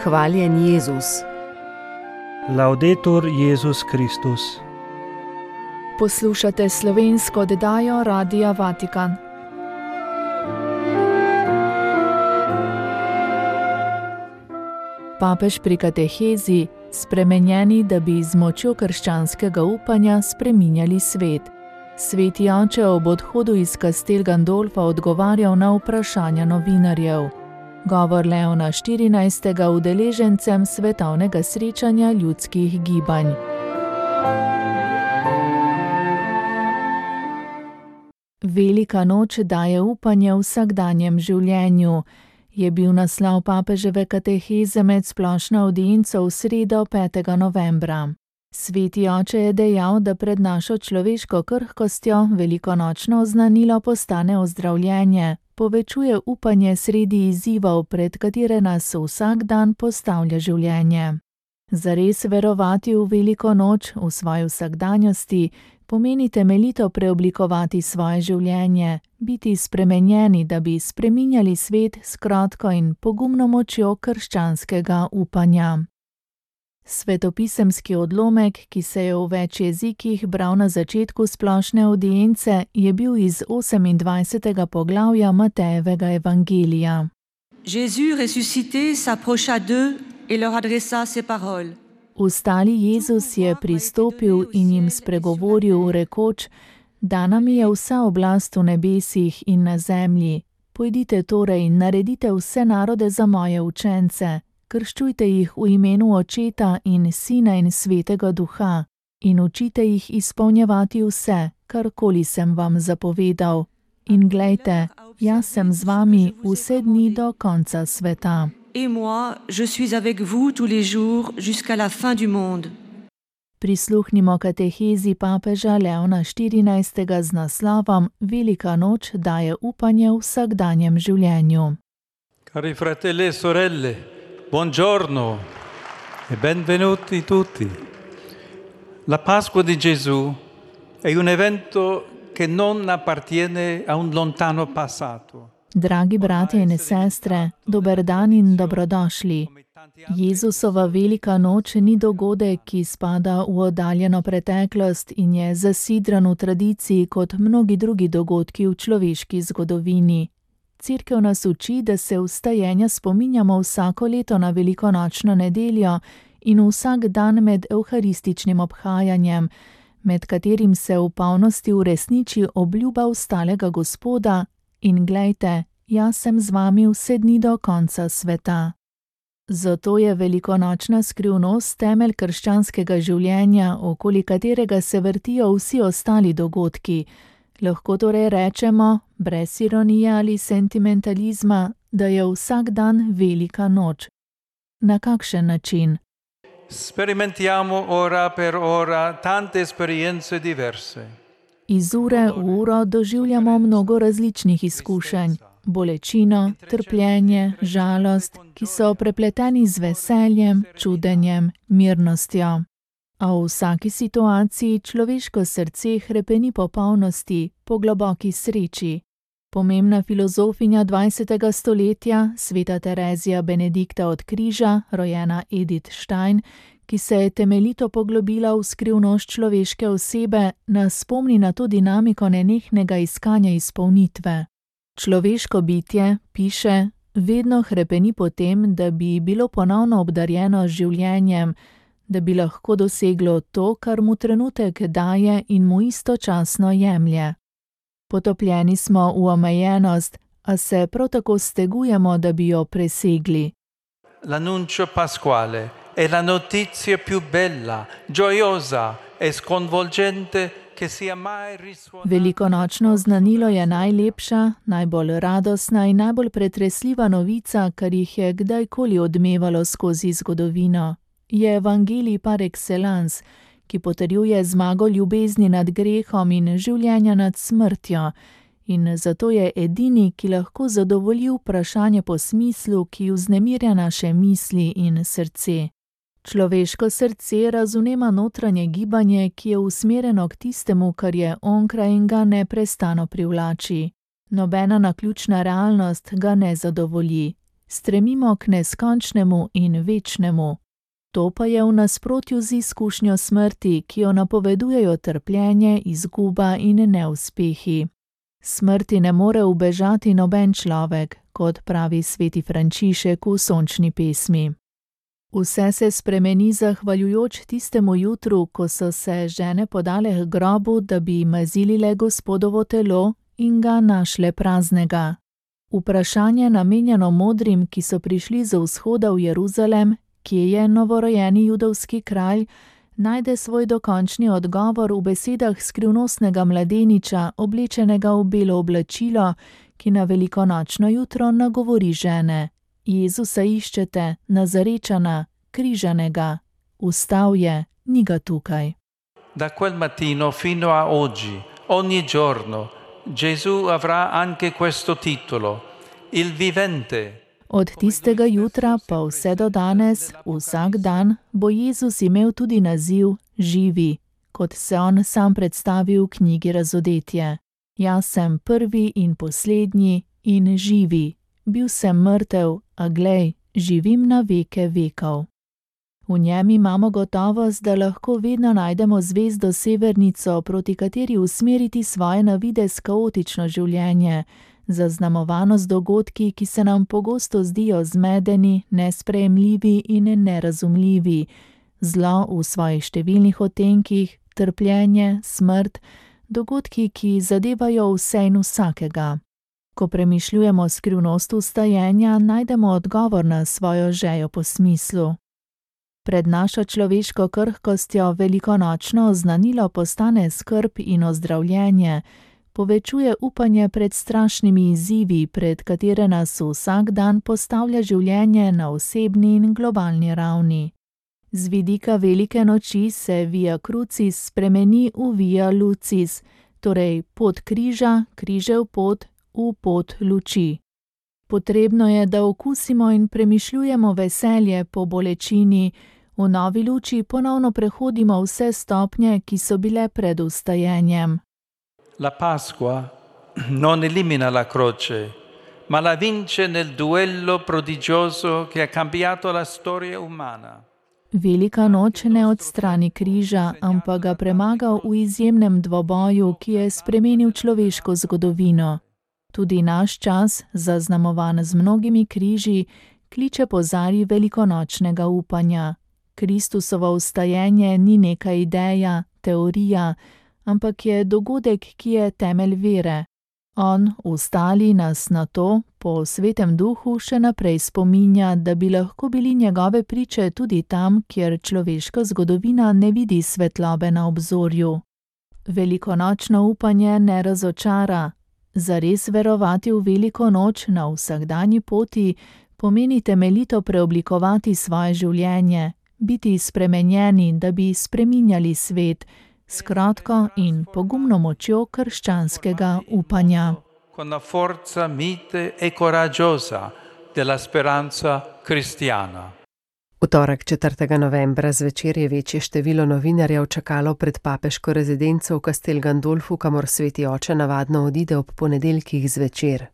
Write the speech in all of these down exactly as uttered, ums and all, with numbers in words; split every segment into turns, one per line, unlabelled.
Hvaljen Jezus.
Laudetur Jezus Kristus.
Poslušate slovensko oddajo Radia Vatikan. Papež pri katehezi: spremenjeni, da bi z močjo krščanskega upanja spreminjali svet. Sveti oče ob odhodu iz Castel Gandolfa odgovarjal na vprašanja novinarjev. Govor Leona štirinajstega udeležencem svetovnega srečanja ljudskih gibanj. Velika noč daje upanje v vsakdanjem življenju, je bil naslov papeževe kateheze med splošno avdienco v sredo petega novembra. Sveti oče je dejal, da pred našo človeško krhkostjo velikonočno oznanilo postane ozdravljenje, povečuje upanje sredi izzivov, pred katere nas vsak dan postavlja življenje. Zares verovati v veliko noč v svoji vsakdanjosti pomeni temeljito preoblikovati svoje življenje, biti spremenjeni, da bi spreminjali svet s krotko in pogumno močjo krščanskega upanja. Svetopisemski odlomek, ki se je v več jezikih bral na začetku splošne avdience, je bil iz osemindvajsetega poglavja Matejevega evangelija.
Jésus ressuscité s'approcha d'eux et leur adressa ces paroles.
Vstali Jezus je pristopil in jim spregovoril, rekoč: Dana mi je vsa oblast v nebesih in na zemlji. Pojdite torej in naredite vse narode za moje učence. Krščujte jih v imenu Očeta in Sina in Svetega Duha in učite jih izpolnjevati vse, karkoli sem vam zapovedal. In glejte, jaz sem z vami vse dni do konca sveta.
Et moi, je suis avec vous tous les jours jusqu'à la fin du monde.
Prisluhnimo katehezi papeža Leona štirinajstega z naslovom Velika noč daje upanje v vsakdanjem življenju.
Cari fratelli e sorelle, buongiorno e benvenuti tutti. La Pasqua di Gesù è un evento che non appartiene a un lontano passato.
Dragi bratje in sestre, dober dan in dobrodošli. Jezusova velika noč ni dogodek, ki spada v oddaljeno preteklost in je zasidran v tradiciji kot mnogi drugi dogodki v človeški zgodovini. Cerkev nas uči, da se vstajenja spominjamo vsako leto na velikonočno nedeljo in vsak dan med evharističnim obhajanjem, med katerim se v polnosti uresniči obljuba vstalega Gospoda in glejte, jaz sem z vami vse dni do konca sveta. Zato je velikonočna skrivnost temelj krščanskega življenja, okoli katerega se vrtijo vsi ostali dogodki. Lahko torej rečemo, brez ironije ali sentimentalizma, da je vsak dan velika noč. Na kakšen način?
Sperimentiamo ora per ora tante esperienze diverse.
Iz ure v uro doživljamo mnogo različnih izkušenj, bolečino, trpljenje, žalost, ki so prepleteni z veseljem, čudenjem, mirnostjo. A v vsaki situaciji človeško srce hrepeni po polnosti, po globoki sreči. Pomembna filozofinja dvajsetega stoletja, sveta Terezija Benedikta od Križa, rojena Edith Stein, ki se je temeljito poglobila v skrivnost človeške osebe, nas spomni na to dinamiko nenehnega iskanja izpolnitve. Človeško bitje, piše, vedno hrepeni po tem, da bi bilo ponovno obdarjeno z življenjem, da bi lahko doseglo to, kar mu trenutek daje in mu istočasno jemlje. Potopljeni smo v omejenost, a se prav tako stegujemo, da bi jo presegli.
L'annuncio pasquale è la notizia più bella, gioiosa e sconvolgente che sia mai risuonata.
Velikonočno znanilo je najlepša, najbolj radosna in najbolj pretresljiva novica, kar jih je kdajkoli odmevalo skozi zgodovino. Je evangelij par excellence, ki potrjuje zmago ljubezni nad grehom in življenja nad smrtjo, in zato je edini, ki lahko zadovolji vprašanje po smislu, ki vznemirja naše misli in srce. Človeško srce razumema notranje gibanje, ki je usmerjeno k tistemu, kar je onkraj in ga neprestano privlači. Nobena naključna realnost ga ne zadovolji. Stremimo k neskončnemu in večnemu. To pa je v nasprotju z izkušnjo smrti, ki jo napovedujejo trpljenje, izguba in neuspehi. Smrti ne more ubežati noben človek, kot pravi sveti Frančišek v sončni pesmi. Vse se spremeni zahvaljujoč tistemu jutru, ko so se žene podale k grobu, da bi mazilile Gospodovo telo in ga našle praznega. Vprašanje namenjeno modrim, ki so prišli z vzhoda v Jeruzalem, kje je novorojeni judovski kralj, najde svoj dokončni odgovor v besedah skrivnostnega mladeniča, oblečenega v belo oblačilo, ki na velikonočno jutro nagovori žene. Jezusa iščete, Nazarečana, križanega. Vstal je, ni ga tukaj.
Da quel mattino fino a oggi, ogni giorno, Gesù avrà anche questo titolo, il vivente.
Od tistega jutra pa vse do danes, vsak dan, bo Jezus imel tudi naziv živi, kot se on sam predstavi v knjigi Razodetje. Jaz sem prvi in poslednji in živi. Bil sem mrtev, a glej, živim na veke vekov. V njem imamo gotovost, da lahko vedno najdemo zvezdo severnico, proti kateri usmeriti svoje na videz kaotično življenje, zaznamovano z dogodki, ki se nam pogosto zdijo zmedeni, nesprejemljivi in nerazumljivi, zlo v svojih številnih odtenkih, trpljenje, smrt, dogodki, ki zadevajo vse in vsakega. Ko premišljujemo skrivnost vstajenja, najdemo odgovor na svojo žejo po smislu. Pred našo človeško krhkostjo velikonočno oznanilo postane skrb in ozdravljenje, povečuje upanje pred strašnimi izzivi, pred katere nas vsak dan postavlja življenje na osebni in globalni ravni. Z vidika velike noči se via crucis spremeni v via lucis, torej pot križa, križev pot, v pot luči. Potrebno je, da okusimo in premišljujemo veselje po bolečini, v novi luči ponovno prehodimo vse stopnje, ki so bile pred vstajenjem.
La Pasqua non elimina la croce, ma la vince nel duello prodigioso che ha cambiato la storia umana.
Velika noč ne odstrani križa, ampak ga premaga v izjemnem dvoboju, ki je spremenil človeško zgodovino. Tudi naš čas, zaznamovan z mnogimi križi, kliče po zari velikonočnega upanja. Kristusovo vstajenje ni neka ideja, teorija, ampak je dogodek, ki je temelj vere. On, vstali, nas na to, po svetem duhu, še naprej spominja, da bi lahko bili njegove priče tudi tam, kjer človeška zgodovina ne vidi svetlobe na obzorju. Velikonočno upanje ne razočara. Zares verovati v veliko noč na vsakdanji poti pomeni temeljito preoblikovati svoje življenje, biti spremenjeni, da bi spreminjali svet, s kratko in pogumno močjo krščanskega upanja.
Con la forza mite e coraggiosa della speranza cristiana.
V torek četrtega novembra zvečer je večje število novinarjev čakalo pred papeško rezidenco v Castel Gandolfu, kamor sveti oče navadno odide ob ponedeljkih zvečer.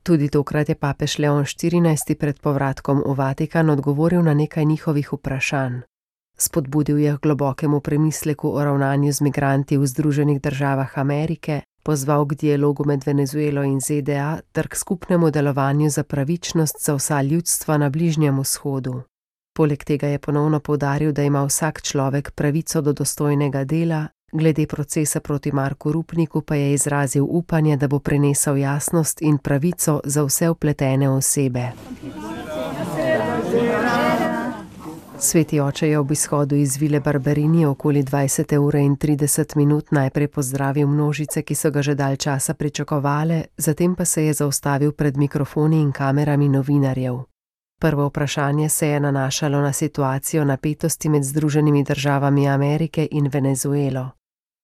Tudi tokrat je papež Leon štirinajsti pred povratkom v Vatikan odgovoril na nekaj njihovih vprašanj. Spodbudil je k globokemu premisleku o ravnanju z migranti v Združenih državah Amerike, pozval k dialogu med Venezuelo in Z D A ter k skupnemu delovanju za pravičnost za vsa ljudstva na Bližnjem vzhodu. Poleg tega je ponovno poudaril, da ima vsak človek pravico do dostojnega dela, glede procesa proti Marku Rupniku pa je izrazil upanje, da bo prinesel jasnost in pravico za vse vpletene osebe. Sveti oče je ob izhodu iz vile Barberini okoli dvajsete ure in trideset minut najprej pozdravil množice, ki so ga že dalj časa pričakovale, zatem pa se je zaustavil pred mikrofoni in kamerami novinarjev. Prvo vprašanje se je nanašalo na situacijo napetosti med Združenimi državami Amerike in Venezuelo.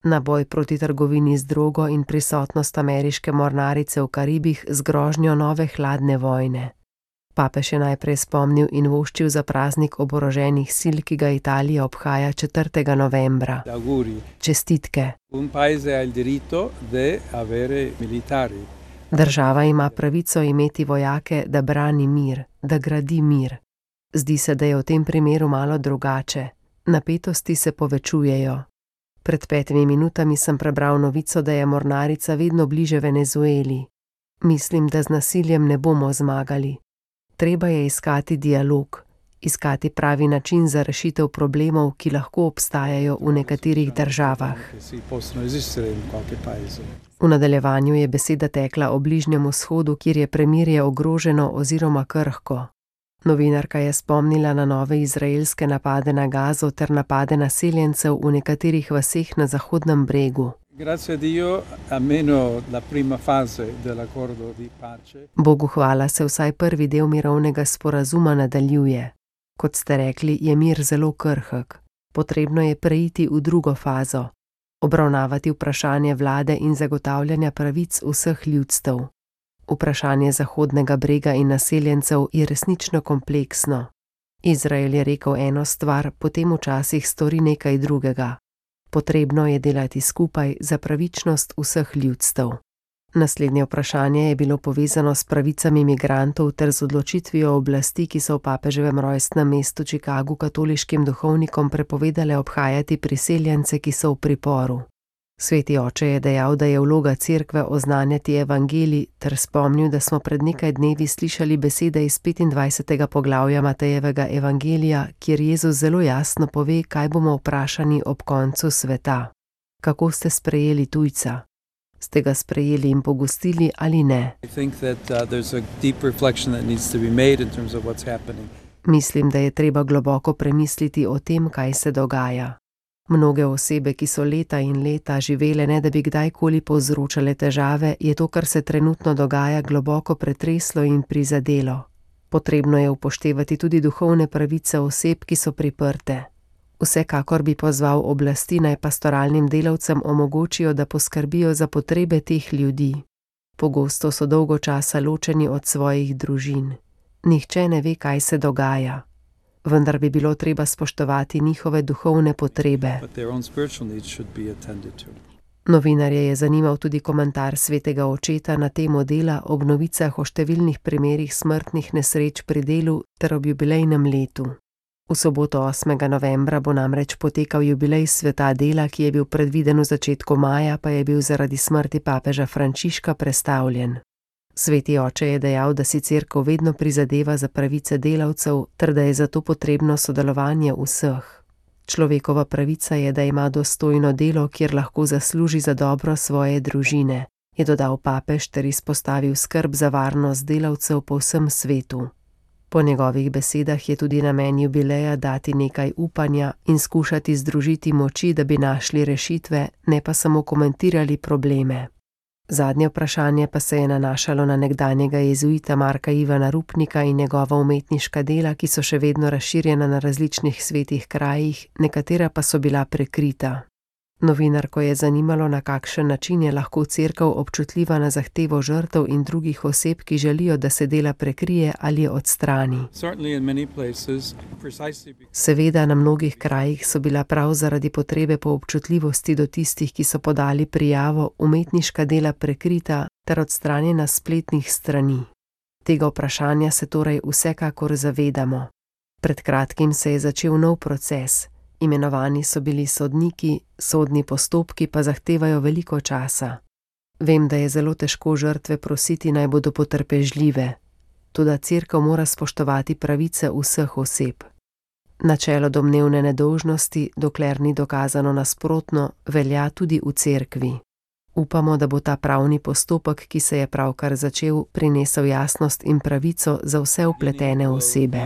Na boj proti trgovini z drogo in prisotnost ameriške mornarice v Karibih z grožnjo nove hladne vojne. Papež je najprej spomnil in voščil za praznik oboroženih sil, ki ga Italija obhaja četrtega novembra. Čestitke.
Un paese ha il diritto di avere militari.
Država ima pravico imeti vojake, da brani mir, da gradi mir. Zdi se, da je v tem primeru malo drugače. Napetosti se povečujejo. Pred petimi minutami sem prebral novico, da je mornarica vedno bliže Venezueli. Mislim, da z nasiljem ne bomo zmagali. Treba je iskati dialog, iskati pravi način za rešitev problemov, ki lahko obstajajo v nekaterih državah. V nadaljevanju je beseda tekla o Bližnjem vzhodu, kjer je premirje ogroženo oziroma krhko. Novinarka je spomnila na nove izraelske napade na Gazo ter napade naseljencev v nekaterih vaseh na Zahodnem bregu. Bogu hvala se vsaj prvi del mirovnega sporazuma nadaljuje. Kot ste rekli, je mir zelo krhek. Potrebno je preiti v drugo fazo. Obravnavati vprašanje vlade in zagotavljanja pravic vseh ljudstev. Vprašanje Zahodnega brega in naseljencev je resnično kompleksno. Izrael je rekel eno stvar, potem včasih stori nekaj drugega. Potrebno je delati skupaj za pravičnost vseh ljudstev. Naslednje vprašanje je bilo povezano s pravicami migrantov ter z odločitvijo oblasti, ki so v papeževem rojstnem mestu Chicagu katoliškim duhovnikom prepovedale obhajati priseljence, ki so v priporu. Sveti oče je dejal, da je vloga cerkve oznanjati evangelij, ter spomnil, da smo pred nekaj dnevi slišali besede iz petindvajsetega poglavja Matejevega evangelija, kjer Jezus zelo jasno pove, kaj bomo vprašani ob koncu sveta. Kako ste sprejeli tujca? Ste ga sprejeli in pogostili ali ne? Mislim, da je treba globoko premisliti o tem, kaj se dogaja. Mnoge osebe, ki so leta in leta živele, ne da bi kdajkoli povzročale težave, je to, kar se trenutno dogaja, globoko pretreslo in prizadelo. Potrebno je upoštevati tudi duhovne pravice oseb, ki so priprte. Vsekakor bi pozval oblasti, naj pastoralnim delavcem omogočijo, da poskrbijo za potrebe teh ljudi. Pogosto so dolgo časa ločeni od svojih družin. Nihče ne ve, kaj se dogaja. Vendar bi bilo treba spoštovati njihove duhovne potrebe. Novinarje je zanimal tudi komentar svetega očeta na temo dela ob novicah o številnih primerih smrtnih nesreč pri delu ter ob jubilejnem letu. V soboto osmega novembra bo namreč potekal jubilej sveta dela, ki je bil predviden v začetku maja, pa je bil zaradi smrti papeža Frančiška prestavljen. Sveti oče je dejal, da si cerkev vedno prizadeva za pravice delavcev, ter da je zato potrebno sodelovanje vseh. Človekova pravica je, da ima dostojno delo, kjer lahko zasluži za dobro svoje družine, je dodal papež ter izpostavil skrb za varnost delavcev po vsem svetu. Po njegovih besedah je tudi namen jubileja dati nekaj upanja in skušati združiti moči, da bi našli rešitve, ne pa samo komentirali probleme. Zadnje vprašanje pa se je nanašalo na nekdanjega jezuita Marka Ivana Rupnika in njegova umetniška dela, ki so še vedno razširjena na različnih svetih krajih, nekatera pa so bila prekrita. Novinarko je zanimalo, na kakšen način je lahko cerkev občutljiva na zahtevo žrtev in drugih oseb, ki želijo, da se dela prekrije ali odstrani. Seveda, na mnogih krajih so bila prav zaradi potrebe po občutljivosti do tistih, ki so podali prijavo, umetniška dela prekrita ter odstranjena s spletnih strani. Tega vprašanja se torej vsekakor zavedamo. Pred kratkim se je začel nov proces. Imenovani so bili sodniki, sodni postopki pa zahtevajo veliko časa. Vem, da je zelo težko žrtve prositi, naj bodo potrpežljive. Toda cerkev mora spoštovati pravice vseh oseb. Načelo domnevne nedolžnosti, dokler ni dokazano nasprotno, velja tudi v cerkvi. Upamo, da bo ta pravni postopek, ki se je pravkar začel, prinesel jasnost in pravico za vse vpletene osebe.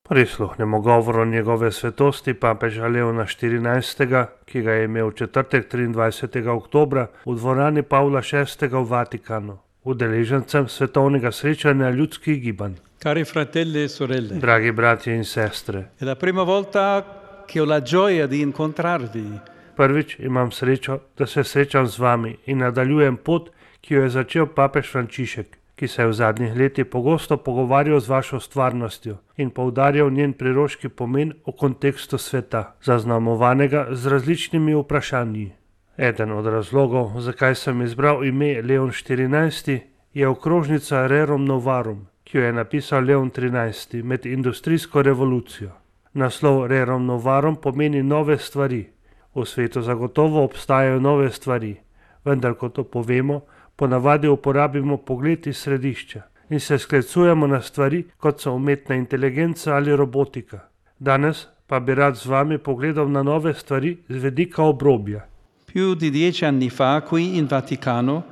Prisluhnemo govoru njegove svetosti papeža Leona štirinajstega, ki ga je imel v četrtek triindvajsetega oktobra v dvorani Pavla šestega v Vatikanu, udeležencem svetovnega srečanja ljudskih gibanj.
Cari fratelli e sorelle.
Dragi bratje in sestre.
È la prima volta che ho la gioia di incontrarvi.
Prvič imam srečo, da se srečam z vami in nadaljujem pot, ki jo je začel papež Frančišek, ki se je v zadnjih letih pogosto pogovarjal z vašo stvarnostjo in poudarjal njen priroški pomen v kontekstu sveta, zaznamovanega z različnimi vprašanji. Eden od razlogov, zakaj sem izbral ime Leon štirinajsti, je okrožnica Rerum Novarum, ki jo je napisal Leon trinajsti med industrijsko revolucijo. Naslov Rerum Novarum pomeni nove stvari. V svetu zagotovo obstajajo nove stvari, vendar ko to povemo, ponavadi uporabimo pogled iz središča in se sklicujemo na stvari, kot so umetna inteligenca ali robotika. Danes pa bi rad z vami pogledal na nove stvari z vidika obrobja.
Più di dieci anni fa, qui in Vaticano,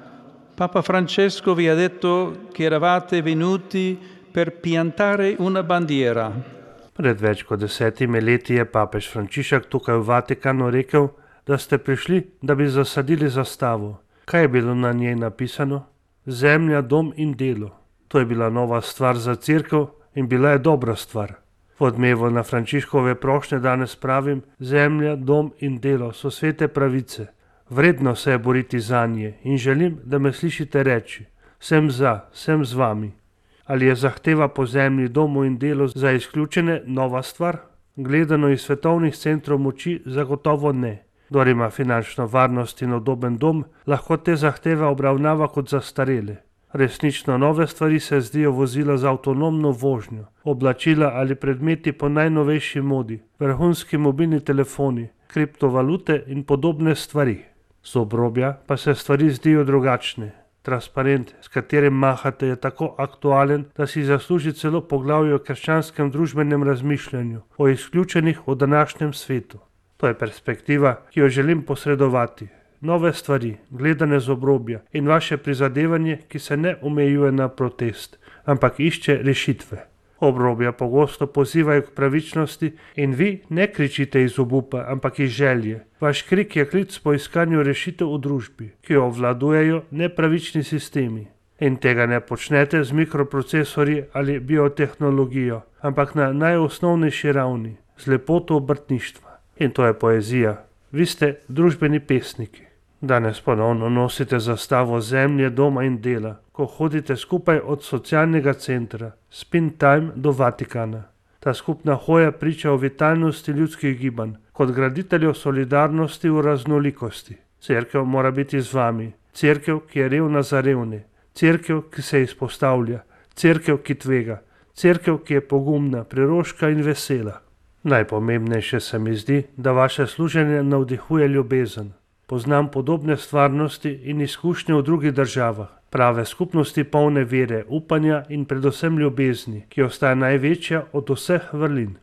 Papa Francesco vi ha detto che eravate venuti per piantare una bandiera.
Pred več kot desetimi leti je papež Frančišek tukaj v Vatikanu rekel, da ste prišli, da bi zasadili zastavo. Kaj je bilo na njej napisano? Zemlja, dom in delo. To je bila nova stvar za cerkev in bila je dobra stvar. V odmevu na Frančiškove prošnje danes pravim, zemlja, dom in delo so svete pravice. Vredno se je boriti zanje in želim, da me slišite reči. Sem za, sem z vami. Ali je zahteva po zemlji, domu in delu za izključene nova stvar? Gledano iz svetovnih centrov moči zagotovo ne. Kdor ima finančno varnost in udoben dom, lahko te zahteve obravnava kot zastarele. Resnično nove stvari se zdijo vozila z avtonomno vožnjo, oblačila ali predmeti po najnovejši modi, vrhunski mobilni telefoni, kriptovalute in podobne stvari. Z obrobja pa se stvari zdijo drugačne. Transparent, s katerim mahate, je tako aktualen, da si zasluži celo poglavje o krščanskem družbenem razmišljanju, o izključenih v današnjem svetu. To je perspektiva, ki jo želim posredovati. Nove stvari, gledane z obrobja in vaše prizadevanje, ki se ne omejuje na protest, ampak išče rešitve. Obrobja pogosto pozivajo k pravičnosti in vi ne kričite iz obupa, ampak iz želje. Vaš krik je klic po iskanju rešitev v družbi, ki jo obvladujejo nepravični sistemi. In tega ne počnete z mikroprocesorji ali biotehnologijo, ampak na najosnovnejši ravni, z lepoto obrtništva. In to je poezija. Vi ste družbeni pesniki. Danes ponovno nosite zastavo zemlje, doma in dela, ko hodite skupaj od socialnega centra, Spin Time do Vatikana. Ta skupna hoja priča o vitalnosti ljudskih gibanj, kot graditeljev solidarnosti v raznolikosti. Cerkev mora biti z vami, cerkev, ki je revna za revne, cerkev, ki se izpostavlja, cerkev, ki tvega, cerkev, ki je pogumna, preroška in vesela. Najpomembnejše se mi zdi, da vaše služenje navdihuje ljubezen. Poznam podobne stvarnosti in izkušnje v drugih državah, prave skupnosti polne vere, upanja in predvsem ljubezni, ki ostaja največja od vseh vrlin.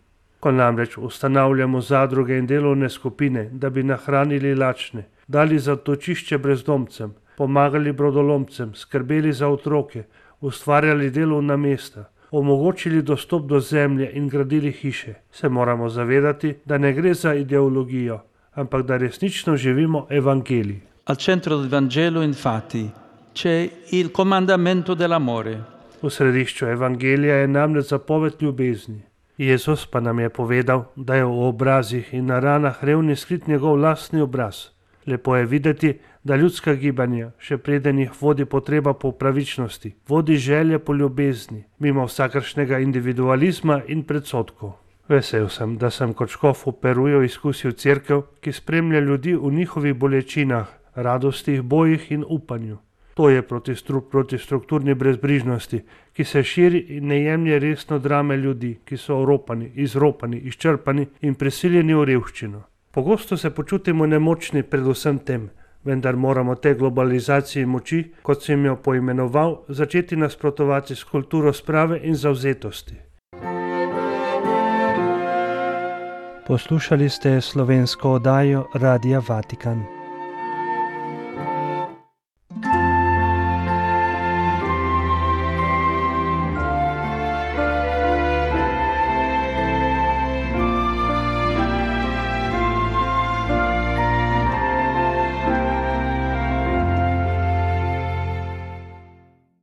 Ko namreč ustanavljamo zadruge in delovne skupine, da bi nahranili lačne, dali zatočišče brezdomcem, pomagali brodolomcem, skrbeli za otroke, ustvarjali delovna mesta, omogočili dostop do zemlje in gradili hiše, se moramo zavedati, da ne gre za ideologijo, ampak da resnično živimo evangelij.
Al centro del Vangelo, infatti, c'è il comandamento dell'amore.
V središču evangelija je namreč zapoved ljubezni. Jezus pa nam je povedal, da je v obrazih in na ranah revni skrit njegov lastni obraz. Lepo je videti, da ljudska gibanja, še preden jih vodi potreba po pravičnosti, vodi želje po ljubezni, mimo vsakršnega individualizma in predsodkov. Vesel sem, da sem kot škof v Peruju izkusil cerkev, ki spremlja ljudi v njihovih bolečinah, radostih, bojih in upanju. To je protistrup proti strukturni brezbrižnosti, ki se širi in ne jemlje resno drame ljudi, ki so oropani, izropani, izčrpani in prisiljeni v revščino. Pogosto se počutimo nemočni pred vsem tem, vendar moramo te globalizaciji moči, kot sem jo poimenoval, začeti nasprotovati s kulturo sprave in zavzetosti.
Poslušali ste slovensko oddajo Radia Vatikan.